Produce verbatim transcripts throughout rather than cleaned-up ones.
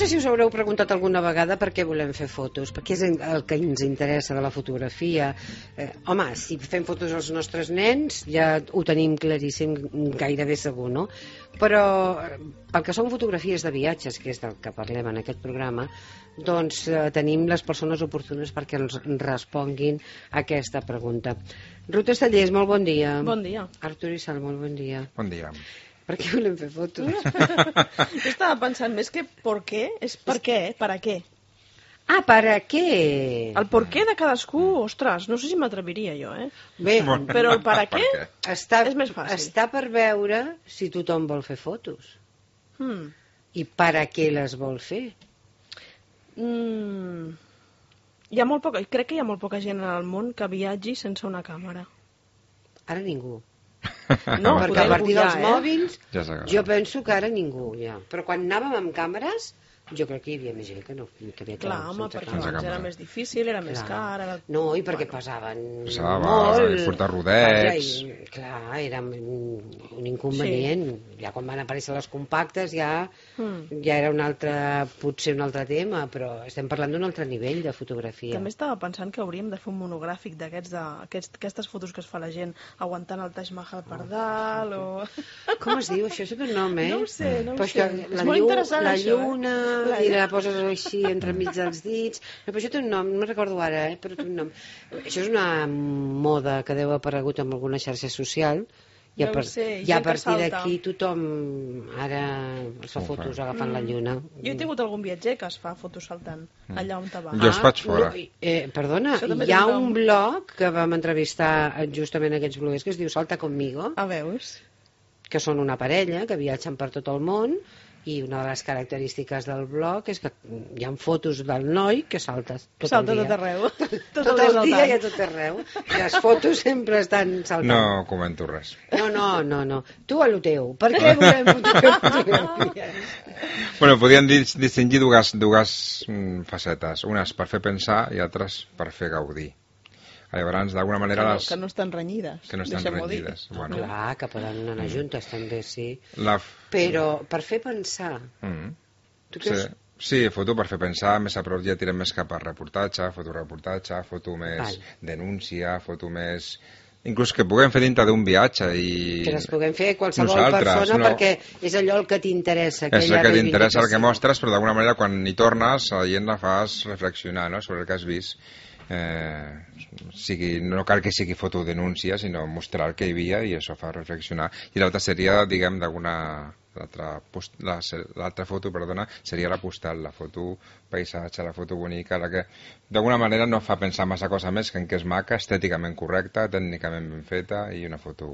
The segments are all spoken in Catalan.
sé si us haureu preguntat alguna vegada per què volem fer fotos, perquè és el que ens interessa de la fotografia. Eh, home, si fem fotos als nostres nens ja ho tenim claríssim, gairebé segur, no? Però pel que són fotografies de viatges, que és del que parlem en aquest programa, doncs eh, tenim les persones oportunes perquè ens responguin a aquesta pregunta. Ruth Estellés, molt bon dia. Bon dia. Artur Isal, molt bon dia. Bon dia. Per què volem fer fotos? Jo estava pensant més que per què, és per què, per a què. Ah, per a què? El per què de cadascú, ostres, no sé si m'atreviria jo, eh? Bé, però el per a què està, és més fàcil. Està per veure si tothom vol fer fotos. Hmm. I per a què les vol fer? Mm. Hi ha molt poca, crec que hi ha molt poca gent en el món que viatgi sense una càmera. Ara ningú. No, perquè a partir dels eh? mòbils Ja jo penso que ara ningú ja. Però quan anàvem amb càmeres jo crec que hi havia més gent que no que havia clar, home, perquè abans era més difícil, era més car era... no, i perquè bueno, pesaven pesava, molt i portar rodets i, clar, era un inconvenient sí. Ja quan van aparèixer les compactes ja, mm. ja era un altre potser un altre tema, però estem parlant d'un altre nivell de fotografia. També estava pensant que hauríem de fer un monogràfic d'aquests de, aquests, aquestes fotos que es fa la gent aguantant el Taj Mahal per dalt o... Com es diu? Això és un nom, eh? No ho sé, no ho però sé. La, és molt llu interessant la això, lluna eh? i la poses així entremig dels dits. No, però això té un nom, no me'n recordo ara, eh? Però té un nom. Això és una moda que deu haver aparegut en alguna xarxa social i a, per, sé, i a partir d'aquí tothom ara es fa fotos agafant mm. la lluna. Jo he tingut algun viatger que es fa fotos saltant mm. allà on te va. Jo es faig fora. No, eh, perdona, hi ha un blog que vam entrevistar justament aquests bloguers que es diu Salta Conmigo. A veus? Que són una parella que viatgen per tot el món i una de les característiques del blog és que hi ha fotos del noi que salta tot salta el dia. Tot arreu. Tot, tot el, el dia i a tot arreu. I les fotos sempre estan saltant. No comento res. No, no, no, no. Tu a lo teu. Per què volem fotografies? Bueno, podríem distingir dues, dues facetes. Unes per fer pensar i altres per fer gaudir. Llavors, d'alguna manera... Que no, les... que no estan renyides. Que no estan renyides. Bueno. Clar, que poden anar juntes, també, sí. La... Però per fer pensar... Mm. Tu creus... Sí, sí, foto per fer pensar, més a prop ja tirem més cap a reportatge, fotoreportatge, foto més Val. denúncia, foto més... Inclús que puguem fer dintre d'un viatge i... Que les puguem fer qualsevol nosaltres, persona no? perquè és allò el que t'interessa. És el que t'interessa, el que mostres, però d'alguna manera quan hi tornes la gent la fas reflexionar, no?, sobre el que has vist. Eh, sigui, no cal que sigui fotodenúncia, sinó mostrar el que hi havia i això fa reflexionar. I l'altra seria, diguem, d'alguna... L'altra foto, perdona, seria la postal, la foto paisatge, la foto bonica, la que d'alguna manera no fa pensar massa cosa més que en què és maca, estèticament correcta, tècnicament ben feta i una foto...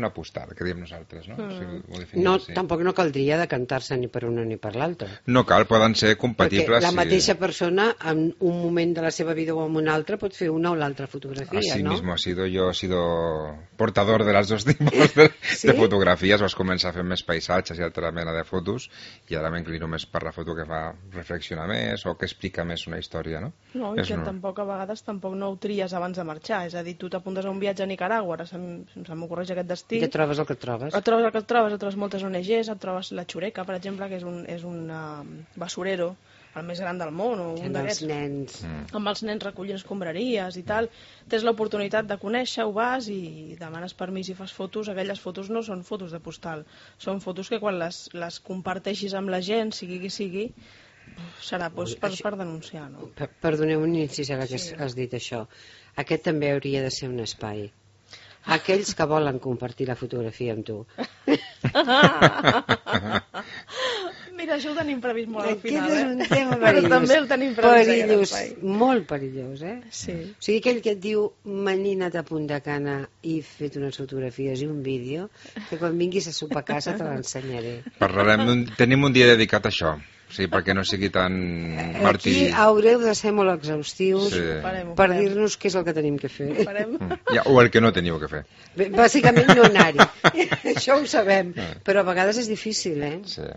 una postal, que diem nosaltres, no? Mm. O sigui, no, així. tampoc no caldria decantar-se ni per una ni per l'altra. No cal, poden ser compatibles. Perquè la mateixa si... persona en un moment de la seva vida o en un altre pot fer una o l'altra fotografia, Así ¿no? mismo ha sido, yo he sido portador de las dos tipos de, ¿Sí? de fotografías, vas començar a fer més paisatges i altra mena de fotos i ara m'inclino més per la foto que fa reflexionar més o que explica més una història, no? No, i que no... tampoc a vegades tampoc no ho tries abans de marxar, és a dir, tu t'apuntes a un viatge a Nicaragua, ara se m'ocorreix aquest destí. I et trobes el que et trobes. Et trobes el que et trobes, et trobes moltes O N Ges, et trobes la Xureca, per exemple, que és un, és un uh, basurero, el més gran del món, o un d'aquests. Amb els nens. Mm. Amb els nens recollint escombraries i tal. Tens l'oportunitat de conèixer, ho vas i demanes permís i fas fotos. Aquelles fotos no són fotos de postal, són fotos que quan les, les comparteixis amb la gent, sigui qui sigui, serà doncs, per, per denunciar, no? Perdoneu un incís ara que sí. has dit això. Aquest també hauria de ser un espai. Aquells que volen compartir la fotografia amb tu. Mira, això ho tenim previst molt al final, eh? és un tema perillós. Però també el tenim previst. Perillós, molt perillós, eh? Sí. O sigui, aquell que et diu menina't a Punta Cana i fet unes fotografies i un vídeo, que quan vinguis a sopar a casa te l'ensenyaré. Parlarem, tenim un dia dedicat a això. Sí, perquè no sigui tan martiri. Aquí haureu de ser molt exhaustius sí. farem, per dir-nos què és el que tenim que fer. Mm. Ja, o el que no teniu que fer. Bé, bàsicament no anar-hi. Això ho sabem, però a vegades és difícil, eh? Sí.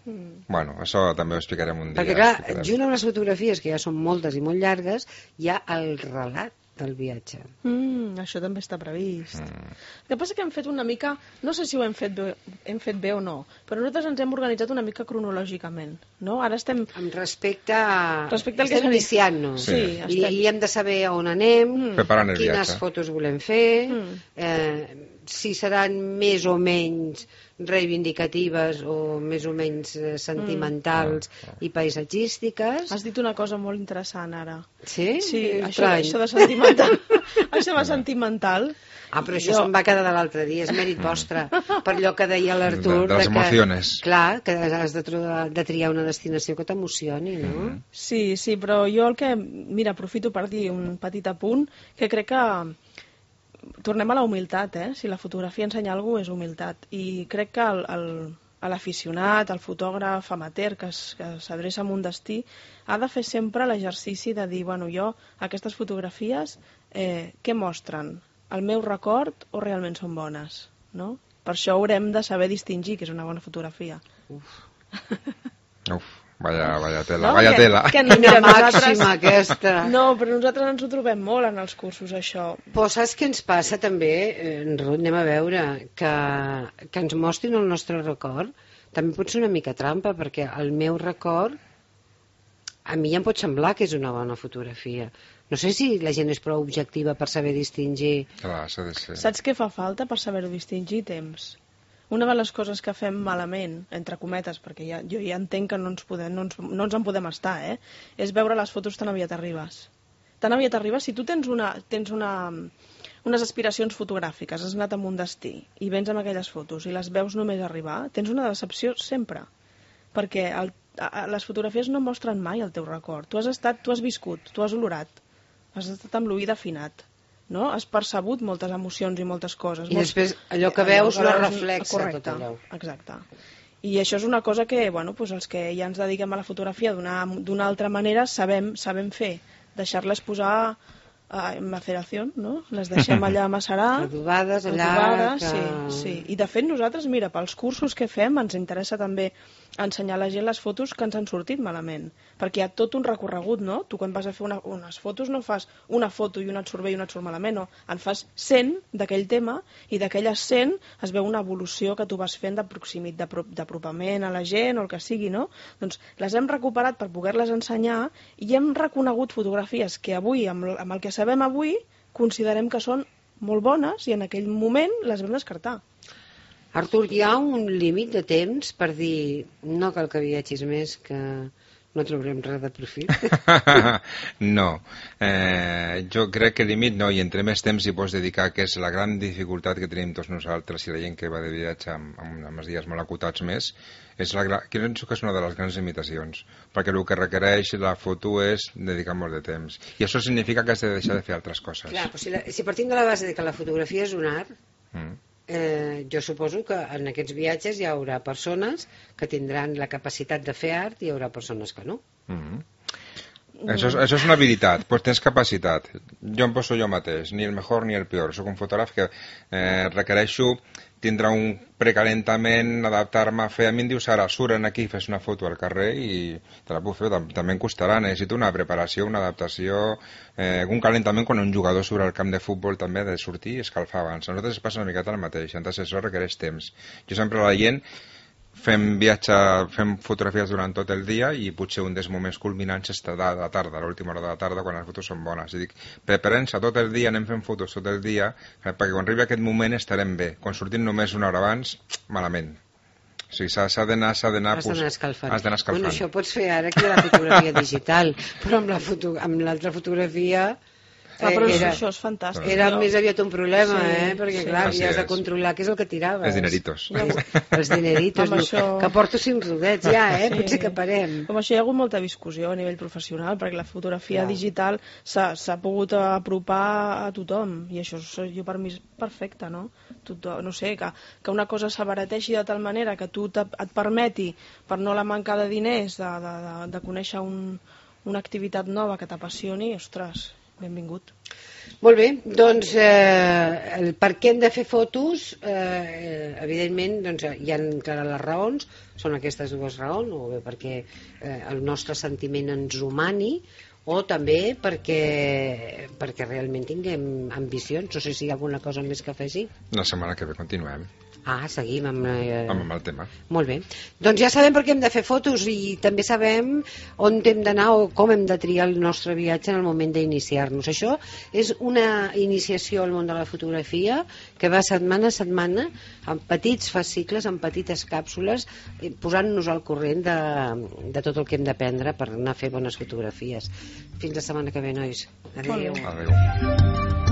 Mm. Bueno, això també ho explicarem un dia. Perquè clar, junt amb les fotografies, que ja són moltes i molt llargues, hi ha el relat del viatge. Mm, això també està previst. Mm. El que passa que hem fet una mica, no sé si ho hem fet bé, hem fet bé o no, però nosaltres ens hem organitzat una mica cronològicament, no? Ara estem... Amb respecte a... Respecte al que estem iniciant-nos. Sí, I, estem... I hem de saber on anem, Preparant el quines viatge. fotos volem fer, Mm. eh, si seran més o menys reivindicatives o més o menys eh, sentimentals Mm. i paisatgístiques. Has dit una cosa molt interessant ara. Sí? Sí, això, Estrany. això de sentimental. Això de sentimental. Ah, però això Jo- se'm va quedar de l'altre dia, és mèrit vostre, per allò que deia l'Artur. De- de les que, emociones. Clar, que has de, tro- de triar una destinació que t'emocioni, no? Mm. Sí, sí, però jo el que... Mira, aprofito per dir un petit apunt, que crec que tornem a la humilitat, eh? Si la fotografia ensenya alguna cosa és humilitat. I crec que el, el, a l'aficionat, al fotògraf amateur que es- que s'adreça a un destí, ha de fer sempre l'exercici de dir, bueno, jo, aquestes fotografies, eh, què mostren? El meu record o realment són bones? No? Per això haurem de saber distingir que és una bona fotografia. Uf, vaya, vaya tela, No, vaya que- tela. que Quina mira, màxima nosaltres- aquesta. No, però nosaltres ens ho trobem molt en els cursos, això. Però saps què ens passa també, eh, Ruth, anem a veure, que, que ens mostrin el nostre record també pot ser una mica trampa, perquè el meu record a mi em pot semblar que és una bona fotografia. No sé si la gent és prou objectiva per saber distingir. Clar, s'ha de ser. Saps què fa falta per saber-ho distingir? Temps. Una de les coses que fem malament, entre cometes, perquè ja, jo ja entenc que no ens, podem, no, ens, no ens en podem estar, eh? És veure les fotos tan aviat arribes. Tan aviat arribes, si tu tens, una, tens una, unes aspiracions fotogràfiques, has anat a un destí i vens amb aquelles fotos i les veus només arribar, tens una decepció sempre. Perquè el, a, a, les fotografies no mostren mai el teu record. Tu has estat, tu has viscut, tu has olorat, has estat amb l'oïda afinat, no? Has percebut moltes emocions i moltes coses. I Molts- després allò que veus que no veus- reflexa correcte, tot allò. Exacte. I això és una cosa que, bueno, doncs els que ja ens dediquem a la fotografia d'una d'una altra manera sabem, sabem fer. Deixar-les posar eh, en maceració, no? Les deixem allà a macerar. Adobades allà... Adobades, que... sí, sí. I de fet nosaltres, mira, pels cursos que fem ens interessa també ensenyar a la gent les fotos que ens han sortit malament, perquè hi ha tot un recorregut, no? Tu quan vas a fer una, unes fotos no fas una foto i una et surt bé i una et surt malament, no. En fas cent d'aquell tema i d'aquelles cent es veu una evolució que tu vas fent de proximitat, d'apropament a la gent o el que sigui, no? Doncs les hem recuperat per poder-les ensenyar i hem reconegut fotografies que avui, amb, amb el que sabem avui, considerem que són molt bones i en aquell moment les vam descartar. Artur, hi ha un límit de temps per dir no cal que viatgis més, que no trobarem res de profit? No, eh, jo crec que límit no, i entre més temps hi pots dedicar, que és la gran dificultat que tenim tots nosaltres i la gent que va de viatge amb, amb, amb els dies molt acotats més, és la, que penso que és una de les grans limitacions, perquè el que requereix la foto és dedicar molt de temps, i això significa que has de deixar de fer altres coses. Clar, però si, la, si partim de la base de que la fotografia és un art, Mm. eh, jo suposo que en aquests viatges hi haurà persones que tindran la capacitat de fer art i hi haurà persones que no. Mm. Això, és, això és una habilitat, doncs tens capacitat. Jo em poso jo mateix, ni el millor ni el pitjor. Soc un fotògraf que eh, requereixo tindre un precalentament, adaptar-me a fer... A mi em dius ara, suren aquí, fes una foto al carrer i te la puc fer, també em costarà. Necessito una preparació, una adaptació, eh, un calentament quan un jugador surt al camp de futbol també ha de sortir i escalfar abans. A nosaltres es passa una miqueta el mateix, entonces això requereix temps. Jo sempre a la gent fem viatge, fem fotografies durant tot el dia i potser un dels moments culminants és de la tarda, l'última hora de la tarda, quan les fotos són bones. I dic, preparem-se tot el dia, anem fent fotos tot el dia, perquè quan arribi aquest moment estarem bé. Quan sortim només una hora abans, malament. O sigui, s'ha d'anar, s'ha d'anar... Has d'anar escalfant. Has d'anar escalfant. Bueno, això pots fer ara que hi ha la fotografia digital, però amb la foto, amb l'altra fotografia... Ah, però era, això és fantàstic. era no? més aviat un problema, Sí, eh? Perquè, sí. clar, Així ja has de és. controlar què és el que tiraves. Els dineritos. Els dineritos, Amb no, això- que porto cinc rodets ja, eh? Sí. Potser que parem. Com això hi ha hagut molta discussió a nivell professional, perquè la fotografia Clar. digital s'ha s'ha pogut apropar a tothom, i això és, jo per mi és perfecte, no? Tothom, no sé, que, que una cosa s'abarateixi de tal manera que tu te, et permeti, per no la manca de diners, de, de, de, de conèixer un, una activitat nova que t'apassioni, ostres, benvingut. Molt bé, doncs eh, el per què hem de fer fotos, eh, evidentment doncs, hi ha clares les raons, són aquestes dues raons, o bé perquè eh, el nostre sentiment ens humani, o també perquè, perquè realment tinguem ambicions. No sé si hi ha alguna cosa més que afegir. La setmana que ve continuem. Ah, seguim amb, eh... amb el tema. Molt bé. Doncs ja sabem per què hem de fer fotos i també sabem on hem d'anar o com hem de triar el nostre viatge en el moment d'iniciar-nos. Això és una iniciació al món de la fotografia que va setmana a setmana amb petits fascicles, amb petites càpsules, posant-nos al corrent de, de tot el que hem d'aprendre per anar a fer bones fotografies. Fins la setmana que ve, nois. Adéu. Adéu.